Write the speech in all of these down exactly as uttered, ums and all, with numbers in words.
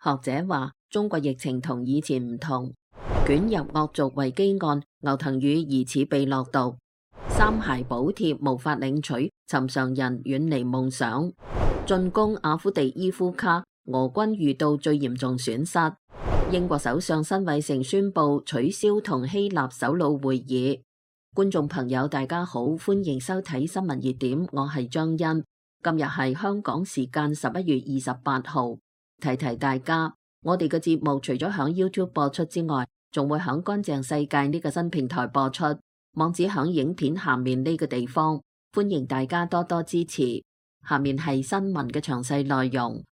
學者話，中國疫情同以前唔同，捲入惡俗維基案，牛騰宇疑似被落毒，三孩補貼無法領取，尋常人遠離夢想。進攻阿夫地伊夫卡，俄軍遇到最嚴重損失。英國首相辛偉誠宣布取消同希臘首腦會議。觀眾朋友大家好，歡迎收睇新聞熱點，我係張欣。今日係香港時間十一月二十八號。提提大家，我哋嘅節目除咗響 YouTube 播出之外，仲會響乾淨世界呢個新平台播出，網址響影片下面呢個地方，歡迎大家多多支持。下面係新聞嘅詳細內容。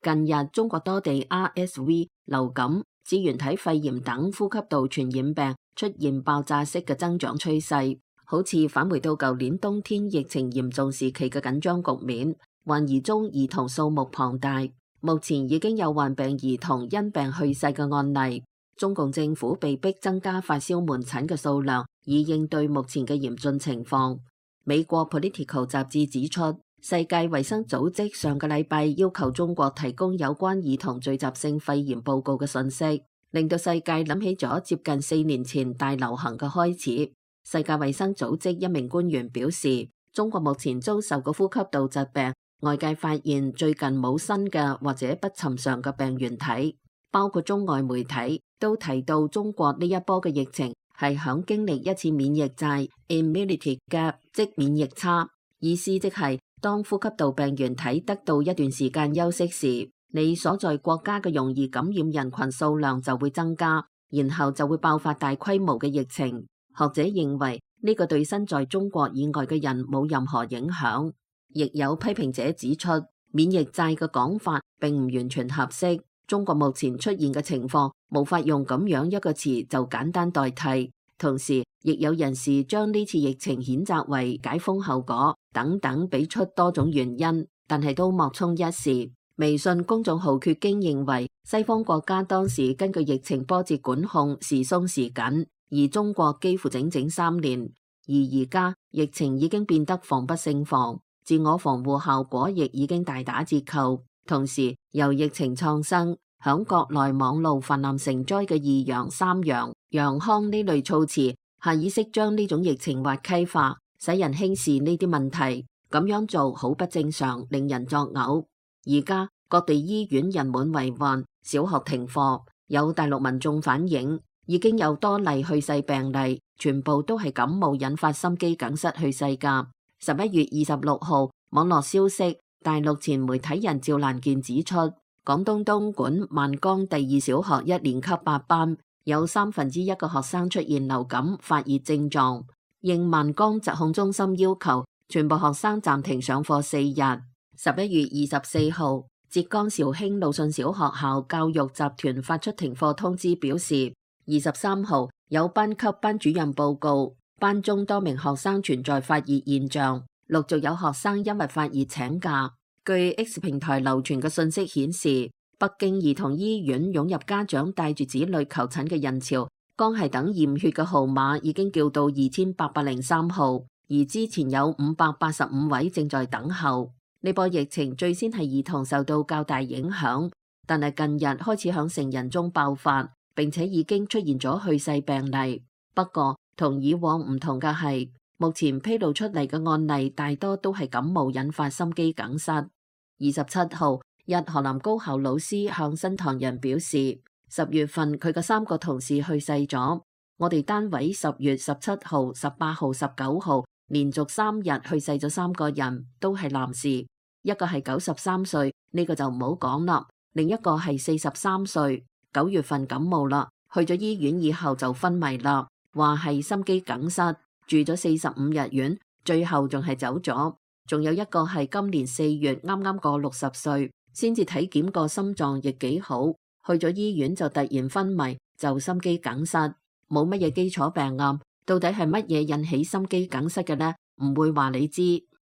近日中國多地 R S V、流感、支原體肺炎等呼吸道傳染病出現爆炸式嘅增長趨勢，好似返回到舊年冬天疫情嚴重時期嘅緊張局面。患兒中兒童數目龐大。目前已經有患病兒童因病去世嘅案例，中共政府被迫增加發燒門診嘅數量，以應對目前嘅嚴峻情況。美國 Political 雜誌指出，世界衛生組織上個禮拜要求中國提供有關兒童聚集性肺炎報告嘅信息，令到世界諗起咗接近四年前大流行嘅開始。世界衛生組織一名官員表示，中國目前遭受嘅呼吸道疾病，外界發現最近冇新嘅或者不尋常嘅病原體，包括中外媒體都提到中國呢一波嘅疫情係響經歷一次免疫債 immunity gap， 即免疫差，意思即係當呼吸道病原體得到一段時間休息時，你所在國家嘅容易感染人群數量就會增加，然後就會爆發大規模嘅疫情。學者認為呢個對身在中國以外嘅人冇任何影響。亦有批評者指出，免疫債嘅講法並唔完全合適。中國目前出現嘅情況無法用咁樣一個詞就簡單代替。同時，亦有人士將呢次疫情譴責為解封後果等等，俾出多種原因，但係都莫衷一是。微信公眾號缺經認為，西方國家當時根據疫情波折管控時鬆時緊，而中國幾乎整整三年，而而家疫情已經變得防不勝防。自我防護效果亦已經大打折扣，同時由疫情創生，響國內網路氾濫成災嘅二陽、三陽、陽康呢類措辭，下意識將呢種疫情滑稽化，使人輕視呢啲問題。咁樣做好不正常，令人作嘔。而家各地醫院人滿為患，小學停課，有大陸民眾反映，已經有多例去世病例，全部都係感冒引發心肌梗塞去世噶。十一月二十六號，網絡消息，大陸前媒體人趙蘭健指出，廣東東莞萬江第二小學一年級八班有三分之一個學生出現流感發熱症狀，應萬江疾控中心要求，全部學生暫停上課四日。十一月二十四號，浙江紹興魯迅小學校教育集團發出停課通知，表示二十三號有班級班主任報告，班中多名學生存在發熱現象，陸續有學生因為發熱請假。據 X 平台流傳嘅信息顯示，北京兒童醫院湧入家長帶住子女求診嘅人潮，江系等驗血嘅號碼已經叫到二千八百零三號，而之前有五百八十五位正在等候。呢波疫情最先係兒童受到較大影響，但係近日開始響成人中爆發，並且已經出現咗去世病例。不過，同以往唔同嘅係，目前披露出嚟嘅案例大多都係感冒引發心肌梗塞。二十七號，一河南高校老師向新唐人表示，十月份佢嘅三個同事去世咗。我哋單位十月十七號、十八號、十九號連續三日去世咗三個人，都係男士，一個係九十三歲，呢個就唔好講啦。另一個係四十三歲，九月份感冒啦，去咗醫院以後就昏迷啦。話係心肌梗塞，住咗四十五日院，最後仲係走咗。仲有一個係今年四月啱啱過六十歲，先至體檢過心臟亦幾好，去咗醫院就突然昏迷，就心肌梗塞，冇乜嘢基礎病案，到底係乜嘢引起心肌梗塞嘅呢？唔會話你知。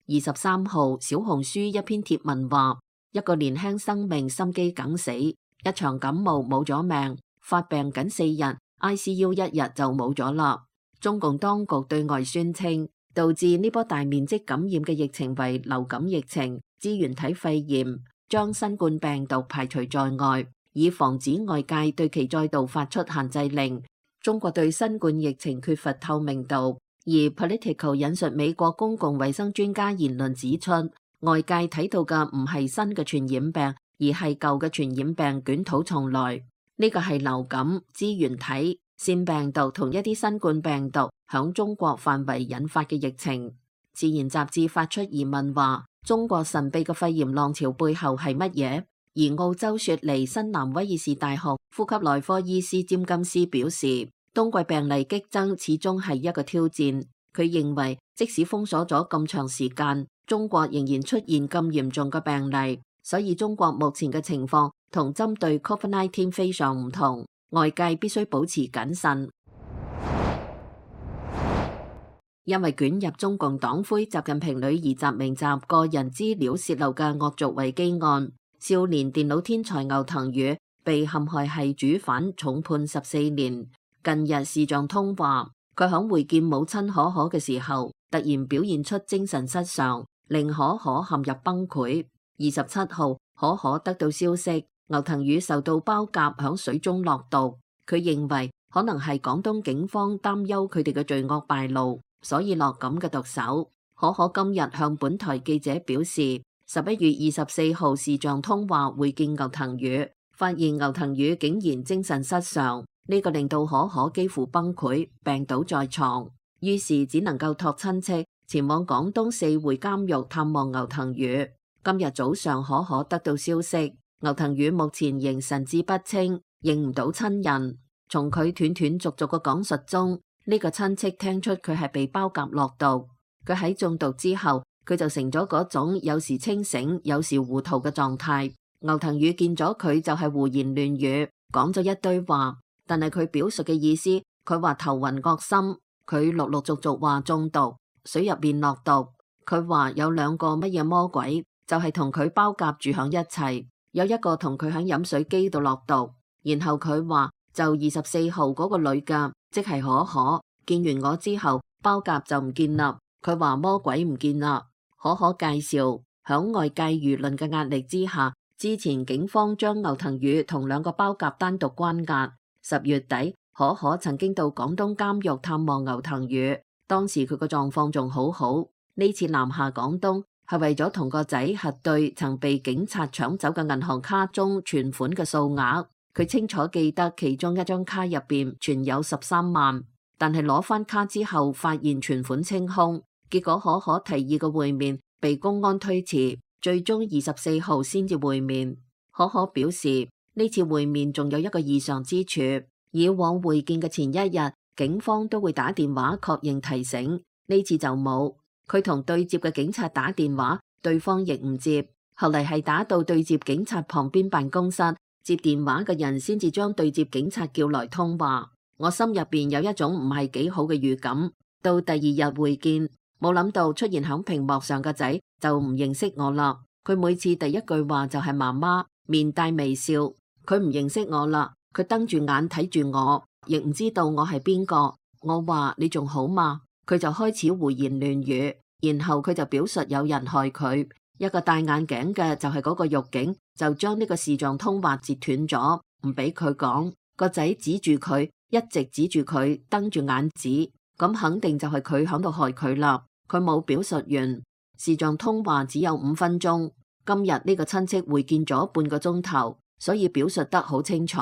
二十三號，小紅書一篇貼文話，一個年輕生命心肌梗死，一場感冒冇咗命，發病僅四日。I C U 一日就冇咗啦。中共當局對外宣稱，導致呢波大面積感染嘅疫情為流感疫情、支原體肺炎，將新冠病毒排除在外。以防止外界對其再度發出限制令。中國對新冠疫情缺乏透明度，而 Politico 引述美國公共衛生專家言論指出，外界睇到嘅唔係新嘅傳染病，而係舊嘅傳染病捲土重來。呢個係流感、支原體、腺病毒同一啲新冠病毒響中國範圍引發嘅疫情。自然雜誌發出疑問話，中國神秘嘅肺炎浪潮背後係乜嘢？而澳洲雪梨新南威爾士大學呼吸內科醫師詹金斯表示，冬季病例激增始終係一個挑戰。佢認為，即使封鎖咗咁長時間，中國仍然出現咁嚴重嘅病例，所以中國目前嘅情況同針對 Covid 十九 非常唔同，外界必須保持謹慎。因為捲入中共黨魁習近平女兒習明澤個人資料洩漏嘅惡俗維基案，少年電腦天才牛騰宇被陷害係主犯，重判十四年。近日視像通話，佢響會見母親可可嘅時候，突然表現出精神失常，令可可陷入崩潰。二十七號，可可得到消息，牛騰宇受到包夾響水中落毒。佢認為可能係廣東警方擔憂佢哋嘅罪惡敗露，所以落咁嘅毒手。可可今日向本台記者表示，十一月二十四號視像通話會見牛騰宇，發現牛騰宇竟然精神失常，呢個令到可可幾乎崩潰，病倒在床，於是只能夠託親戚前往廣東四會監獄探望牛騰宇。今日早上可可得到消息，牛騰宇目前仍神志不清，認唔到親人。從佢斷斷續續嘅講述中，呢個親戚聽出佢係被包夾落毒。佢喺中毒之後，佢就成咗嗰種有時清醒、有時糊塗嘅狀態。牛騰宇見咗佢就係胡言亂語，講咗一堆話，但係佢表述嘅意思，佢話頭暈惡心，佢陸陸續續話中毒，水入邊落毒。佢話有兩個乜嘢魔鬼，就係同佢包夾住響一齊，有一個同佢響飲水機度落毒。然後佢話就二十四號嗰個女嘅，即係可可，見完我之後，包夾就唔見啦。佢話魔鬼唔見啦。可可介紹響外界輿論嘅壓力之下，之前警方將牛騰宇同兩個包夾單獨關押。十月底，可可曾經到廣東監獄探望牛騰宇，當時佢個狀況仲好好。呢次南下廣東係為咗同個仔核對曾被警察搶走嘅銀行卡中存款嘅數額。佢清楚記得其中一張卡入邊存有十三萬，但係攞翻卡之後發現存款清空。結果可可提議嘅會面被公安推遲，最終二十四號先至會面。可可表示呢次會面仲有一個異常之處，以往會見嘅前一日警方都會打電話確認提醒，呢次就冇。佢同對接嘅警察打電話，對方亦唔接，後嚟係打到對接警察旁邊辦公室，接電話嘅人先至將對接警察叫來通話。我心入邊有一種唔係幾好嘅預感。到第二日會見，冇諗到出現響屏幕上嘅仔就唔認識我啦。佢每次第一句話就係媽媽，面帶微笑。佢唔認識我啦，佢瞪住眼睇住我，亦唔知道我係邊個。我話你仲好嘛？佢就開始胡言亂語，然後佢就表述有人害佢。一個戴眼鏡嘅就係嗰個獄警，就將呢個視像通話截斷咗，唔俾佢講。個仔指住佢，一直指住佢，瞪住眼指，咁肯定就係佢響度害佢啦。佢冇表述完，視像通話只有五分鐘。今日呢個親戚會見咗半個鐘頭，所以表述得好清楚。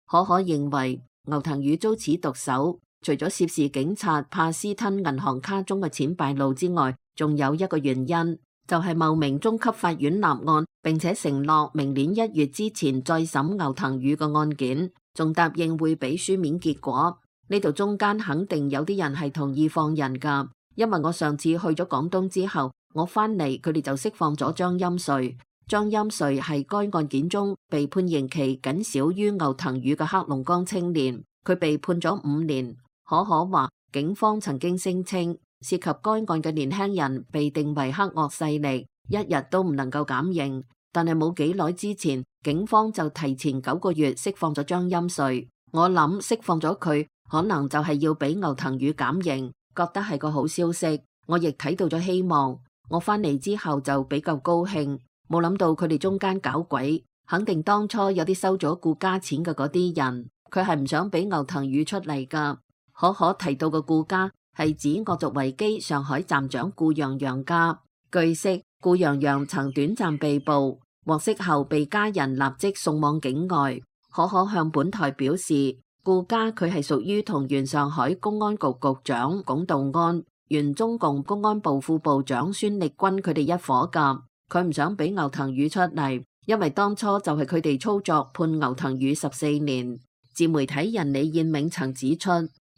可可認為牛騰宇遭此毒手，除咗涉事警察怕私吞銀行卡中嘅錢敗露之外，仲有一個原因，就係茂名中級法院立案，並且承諾明年一月之前再審牛騰宇嘅案件，仲答應會俾書面結果。呢度中間肯定有啲人係同意放人噶，因為我上次去咗廣東之後，我翻嚟佢哋就釋放咗張欽瑞。張欽瑞係該案件中被判刑期僅少於牛騰宇嘅黑龍江青年，佢被判咗五年。可可話警方曾經聲稱涉及該案嘅年輕人被定為黑惡勢力，一日都唔能夠減刑。但係冇幾耐之前，警方就提前九個月釋放咗張欽瑞。我諗釋放咗佢，可能就係要俾牛騰宇減刑，覺得係個好消息。我亦睇到咗希望。我翻嚟之後就比較高興，冇諗到佢哋中間搞鬼。肯定當初有啲收咗顧家錢嘅嗰啲人，佢係唔想俾牛騰宇出嚟噶。可可提到嘅顧家係指惡俗維基上海站長顧洋洋家。據悉，顧洋洋曾短暫被捕，獲釋後被家人立即送往境外。可可向本台表示，顧家佢係屬於同原上海公安局局長龔道安、原中共公安部副部長孫力軍佢哋一伙噶。佢唔想俾牛騰宇出嚟，因為當初就係佢哋操作判牛騰宇十四年。自媒體人李燕銘曾指出，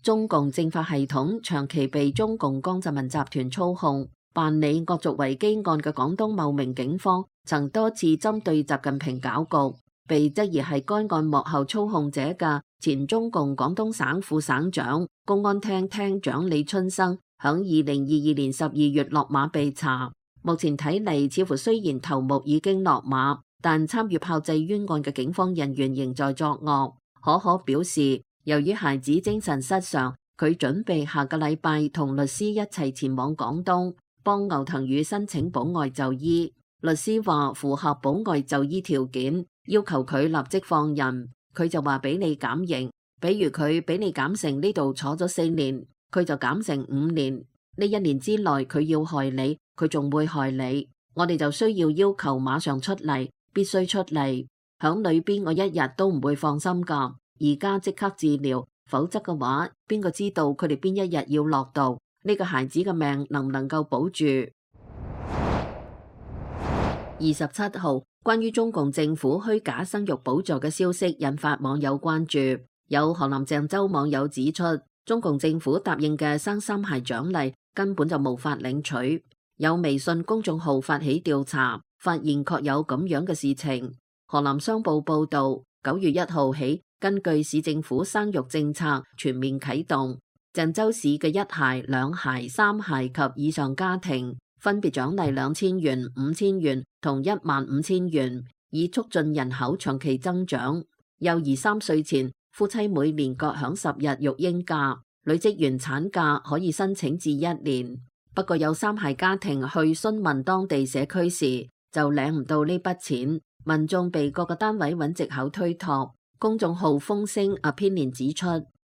中共政法系統長期被中共江澤民集團操控。辦理惡俗維基案嘅廣東茂名警方曾多次針對習近平搞局，被質疑係該案幕後操控者嘅前中共廣東省副省長、公安廳廳長李春生，響二零二二年十二月落馬被查。目前睇嚟，似乎雖然頭目已經落馬，但參與炮製冤案嘅警方人員仍在作惡。可可表示，由於孩子精神失常，佢準備下個禮拜同律師一齊前往廣東，幫牛騰宇申請保外就醫。律師話符合保外就醫條件，要求佢立即放人。佢就話俾你減刑，比如佢俾你減成呢度坐咗四年，佢就減成五年。呢一年之內佢要害你，佢仲會害你。我哋就需要要求馬上出嚟，必須出嚟。響裏邊我一日都唔會放心噶。而家即刻治療，否則嘅話，邊個知道佢哋邊一日要落毒？呢個孩子嘅命能唔能夠保住？二十七號，關於中共政府虛假生育補助嘅消息引發網友關注。有河南鄭州網友指出，中共政府答應嘅生三孩獎勵根本就無法領取。有微信公眾號發起調查，發現確有咁樣嘅事情。河南商報報道，九月一號起，根據市政府生育政策全面啟動，鄭州市嘅一孩、兩孩、三孩及以上家庭分別獎勵兩千元、五千元同一萬五千元，以促進人口長期增長。幼兒三歲前，夫妻每年各享十日育嬰假，累積完產假可以申請至一年。不過有三孩家庭去詢問當地社區時，就領唔到呢筆錢，民眾被各個單位揾藉口推託。公眾號風聲 opinion 指出，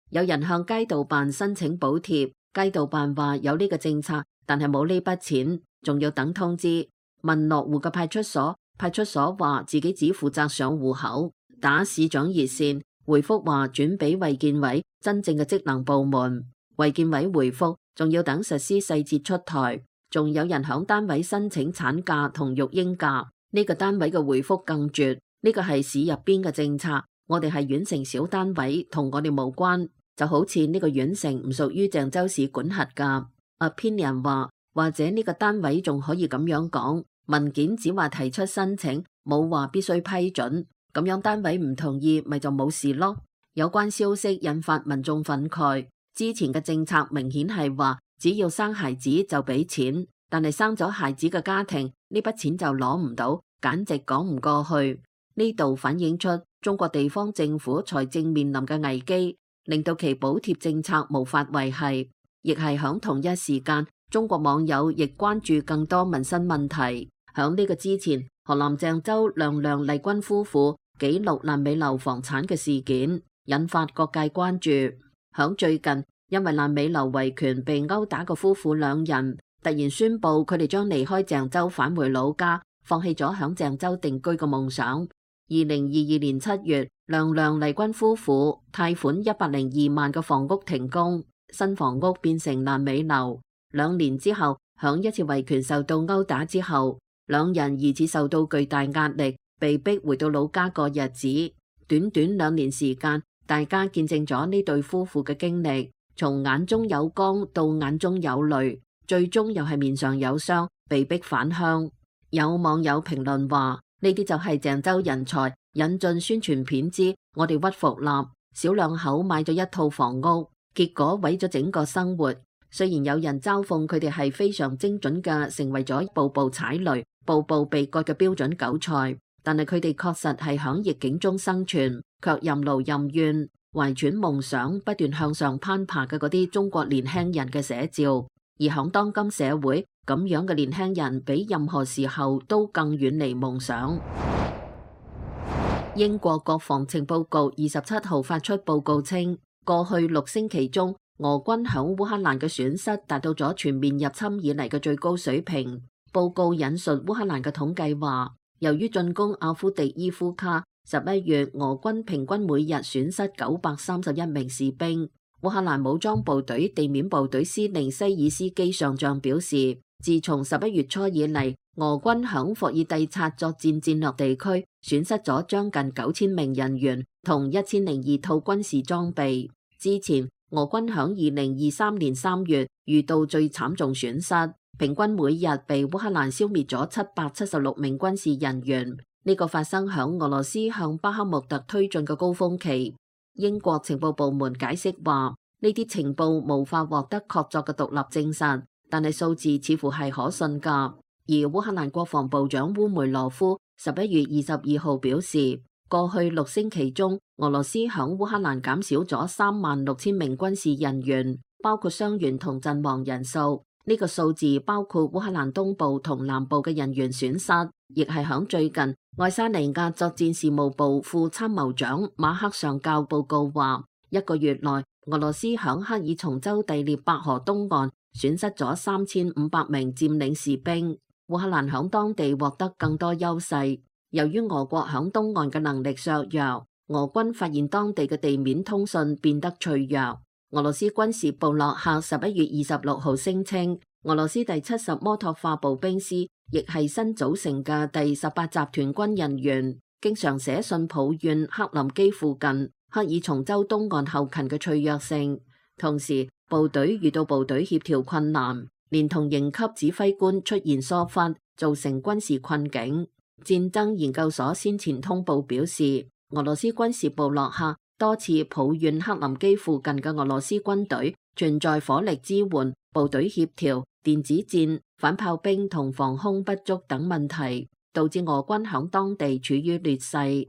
有人向街道辦申請補貼，街道辦話有呢個政策，但係冇呢筆錢，仲要等通知。問落戶嘅派出所，派出所話自己只負責上戶口。打市長熱線，回覆話轉俾衛健委真正嘅職能部門。衛健委回覆，仲要等實施細節出台。仲有人響單位申請產假同育嬰假，呢個單位嘅回覆更絕，呢個係市入邊嘅政策。我哋係縣城小單位，同我哋無關，就好似呢個縣城唔屬於鄭州市管轄噶。opinion 話，或者呢個單位仲可以咁樣講，文件只話提出申請，冇話必須批准，咁樣單位唔同意，咪就冇事咯。有關消息引發民眾憤慨，之前嘅政策明顯係話只要生孩子就俾錢，但係生咗孩子嘅家庭呢筆錢就攞唔到，簡直講唔過去。呢度反映出中國地方政府財政面臨嘅危機，令到其補貼政策無法維繫。亦係響同一時間，中國網友亦關注更多民生問題。響呢個之前，河南鄭州梁梁麗君夫婦紀錄爛尾樓房產嘅事件，引發各界關注。響最近，因為爛尾樓維權被毆打嘅夫婦兩人，突然宣布佢哋將離開鄭州返回老家，放棄咗響鄭州定居嘅夢想。二零二二年七月，梁梁麗君夫婦貸款一百零二萬嘅房屋停工，新房屋變成爛尾樓。兩年之後，響一次維權受到毆打之後，兩人疑似受到巨大壓力，被逼回到老家過日子。短短兩年時間，大家見證咗呢對夫婦嘅經歷，從眼中有光到眼中有淚，最終又係面上有傷，被逼返鄉。有網友評論話，呢啲就係鄭州人才引進宣傳片之我哋屈服啦。小兩口買咗一套房屋，結果毀咗整個生活。雖然有人嘲諷佢哋係非常精準嘅，成為咗步步踩雷、步步被割嘅標準韭菜，但係佢哋確實係響逆境中生存，卻任勞任怨、懷揣夢想、不斷向上攀爬嘅嗰啲中國年輕人嘅寫照。而響當今社會，咁樣嘅年輕人比任何時候都更遠離夢想。英國國防情報局二十七號發出報告稱，過去六星期中，俄軍響烏克蘭嘅損失達到咗全面入侵以嚟嘅最高水平。報告引述烏克蘭嘅統計話，由於進攻阿夫迪伊夫卡，十一月俄軍平均每日損失九百三十一名士兵。烏克蘭武裝部隊地面部隊司令西爾斯基上將表示，自從十一月初以嚟，俄軍響霍爾蒂察作戰戰略地區損失咗將近九千名人員同一千零二套軍事裝備。之前，俄軍響二零二三年三月遇到最慘重損失，平均每日被烏克蘭消滅咗七百七十六名軍事人員。呢個發生響俄羅斯向巴克穆特推進嘅高峰期。英國情報部門解釋話，呢啲情報無法獲得確鑿嘅獨立證實，但係數字似乎係可信㗎。而烏克蘭國防部長烏梅羅夫十一月二十二號表示，過去六星期中，俄羅斯響烏克蘭減少咗三萬六千名軍事人員，包括傷員同陣亡人數。呢個數字包括烏克蘭東部同南部嘅人員損失，亦係響最近愛沙尼亞作戰事務部副參謀長馬克上校報告話，一個月內俄羅斯響克爾松州第聶伯河東岸損失咗三千五百名佔領士兵。烏克蘭響當地獲得更多優勢。由於俄國響東岸嘅能力削弱，俄軍發現當地嘅地面通訊變得脆弱。俄羅斯軍事部落客十一月二十六號聲稱，俄羅斯第七十摩托化步兵師亦係新組成嘅第十八集團軍人員，經常寫信抱怨克林基附近克爾松州東岸後勤嘅脆弱性。同時，部隊遇到部隊協調困難，連同營級指揮官出現疏忽，造成軍事困境。戰爭研究所先前通報表示，俄羅斯軍事部落客多次抱怨克林基附近嘅俄羅斯軍隊存在火力支援、部隊協調、電子戰、反炮兵同防空不足等問題，導致俄軍響當地處於劣勢。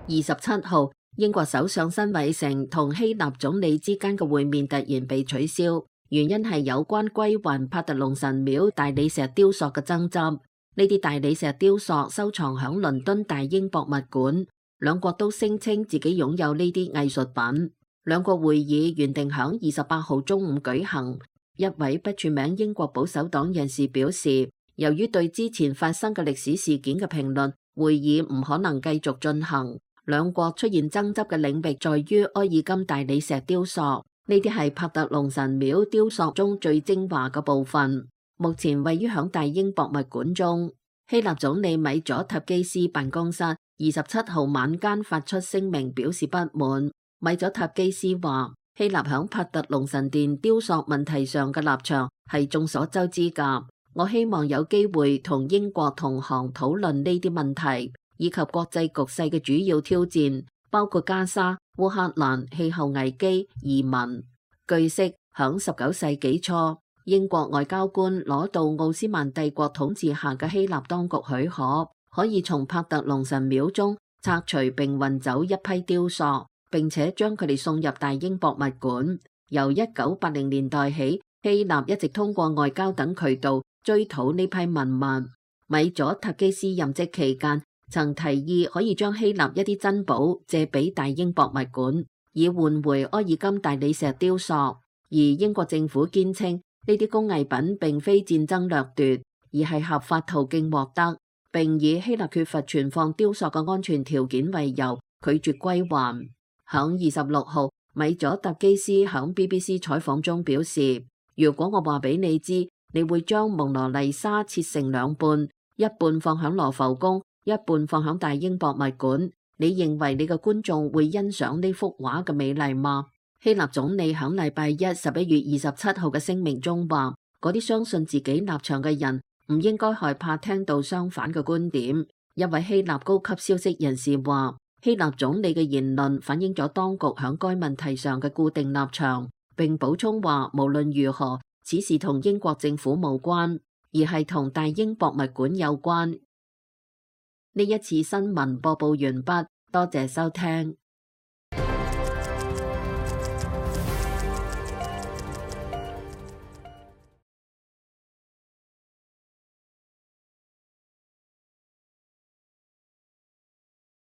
二十七號，英國首相辛偉誠同希臘總理之間嘅會面突然被取消，原因係有關歸還帕特農神廟大理石雕塑嘅爭執。呢啲大理石雕塑收藏響倫敦大英博物館，兩國都聲稱自己擁有呢啲藝術品。兩國會議原定響二十八號中午舉行。一位不署名英國保守黨人士表示，由於對之前發生嘅歷史事件嘅評論，會議唔可能繼續進行。兩國出現爭執嘅領域在於埃爾金大理石雕塑，呢啲係帕特農神廟雕塑中最精華嘅部分。目前位於響大英博物館中。希臘總理米佐塔基斯辦公室二十七號晚間發出聲明表示不滿。米佐塔基斯話，希臘響帕特農神殿雕塑問題上嘅立場係眾所周知㗎。我希望有機會同英國同行討論呢啲問題，以及國際局勢嘅主要挑戰，包括加沙、烏克蘭、氣候危機、移民。據悉，響十九世紀初，英國外交官攞到奧斯曼帝國統治下嘅希臘當局許可，可以從帕特農神廟中拆除並運走一批雕塑，並且將佢哋送入大英博物館。由一九八零年代起，希臘一直通過外交等渠道追討呢批文物。米佐塔基斯任職期間，曾提議可以將希臘一啲珍寶借俾大英博物館，以換回埃爾金大理石雕塑。而英國政府堅稱，呢啲工藝品並非戰爭掠奪，而係合法途徑獲得，並以希臘缺乏存放雕塑嘅安全條件為由，拒絕歸還。響二十六號，米佐特基斯響 B B C 採訪中表示，如果我話俾你知，你會將蒙羅麗莎切成兩半，一半放響羅浮宮，一半放響大英博物館，你認為你嘅觀眾會欣賞呢幅畫嘅美麗嗎？希臘總理響禮拜一十一月二十七號嘅聲明中話，嗰啲相信自己立場嘅人唔應該害怕聽到相反嘅觀點。一位希臘高級消息人士話，希臘總理嘅言論反映咗當局響該問題上嘅固定立場，並補充話，無論如何，此事同英國政府無關，而係同大英博物館有關。呢一次新聞播報完畢，多謝收聽。